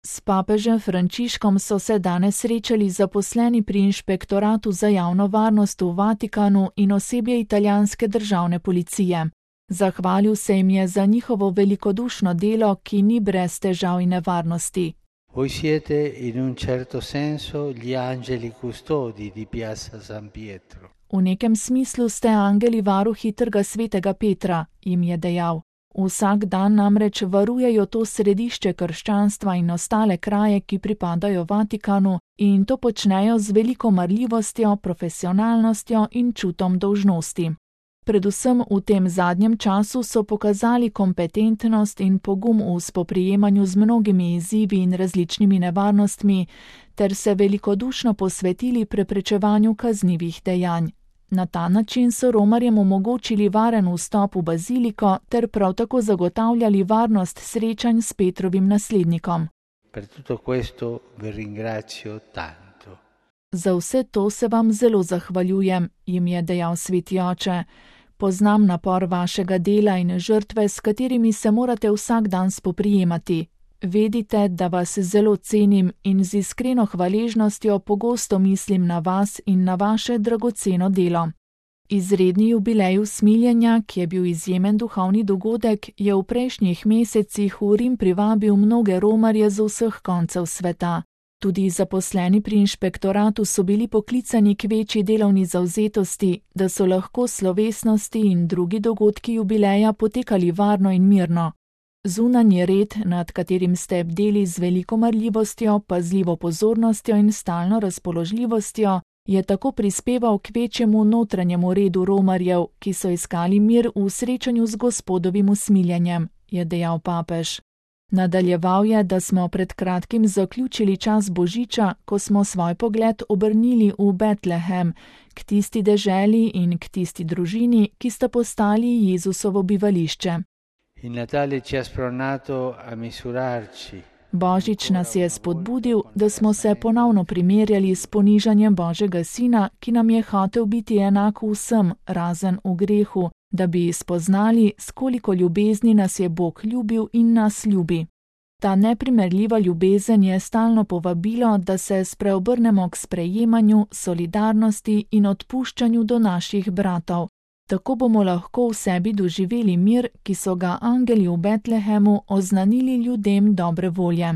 S papežem Frančiškom so se danes srečali zaposleni pri Inšpektoratu za javno varnost v Vatikanu in osebje italijanske državne policije. Zahvalil se jim je za njihovo velikodušno delo, ki ni brez težav in nevarnosti. Voi siete in un certo senso gli angeli custodi di Piazza San Pietro. V nekem smislu ste angeli varuhi Trga svetega Petra, jim je dejal. Vsak dan namreč varujejo to središče krščanstva in ostale kraje, ki pripadajo Vatikanu, in to počnejo z veliko marljivostjo, profesionalnostjo in čutom dolžnosti. Predvsem v tem zadnjem času so pokazali kompetentnost in pogum v spoprijemanju z mnogimi izzivi in različnimi nevarnostmi, ter se velikodušno posvetili preprečevanju kaznivih dejanj. Na ta način so romarjem omogočili varen vstop v baziliko ter prav tako zagotavljali varnost srečanj s Petrovim naslednikom. Per tutto questo vi ringrazio tanto. Za vse to se vam zelo zahvaljujem, jim je dejal sveti oče. Poznam napor vašega dela in žrtve, s katerimi se morate vsak dan spoprijemati. Vedite, da vas zelo cenim in z iskreno hvaležnostjo pogosto mislim na vas in na vaše dragoceno delo. Izredni jubilej usmiljenja, ki je bil izjemen duhovni dogodek, je v prejšnjih mesecih v Rim privabil mnoge romarje z vseh koncev sveta. Tudi zaposleni pri inšpektoratu so bili poklicani k večji delovni zavzetosti, da so lahko slovesnosti in drugi dogodki jubileja potekali varno in mirno. Zunanji red, nad katerim ste bdeli z veliko marljivostjo, pazljivo pozornostjo in stalno razpoložljivostjo, je tako prispeval k večjemu notranjemu redu romarjev, ki so iskali mir v srečanju z Gospodovim usmiljenjem, je dejal papež. Nadaljeval je, da smo pred kratkim zaključili čas Božiča, ko smo svoj pogled obrnili v Betlehem, k tisti deželi in k tisti družini, ki sta postali Jezusovo bivališče. Il Natale ci ha spronato a misurarci. Božič nas je spodbudil, da smo se ponovno primerjali s ponižanjem Božjega Sina, ki nam je hotel biti enak vsem, razen v grehu, da bi spoznali, s koliko ljubezni nas je Bog ljubil in nas ljubi. Ta neprimerljiva ljubezen je stalno povabilo, da se spreobrnemo k sprejemanju, solidarnosti in odpuščanju do naših bratov. Tako bomo lahko v sebi doživeli mir, ki so ga angeli v Betlehemu oznanili ljudem dobre volje.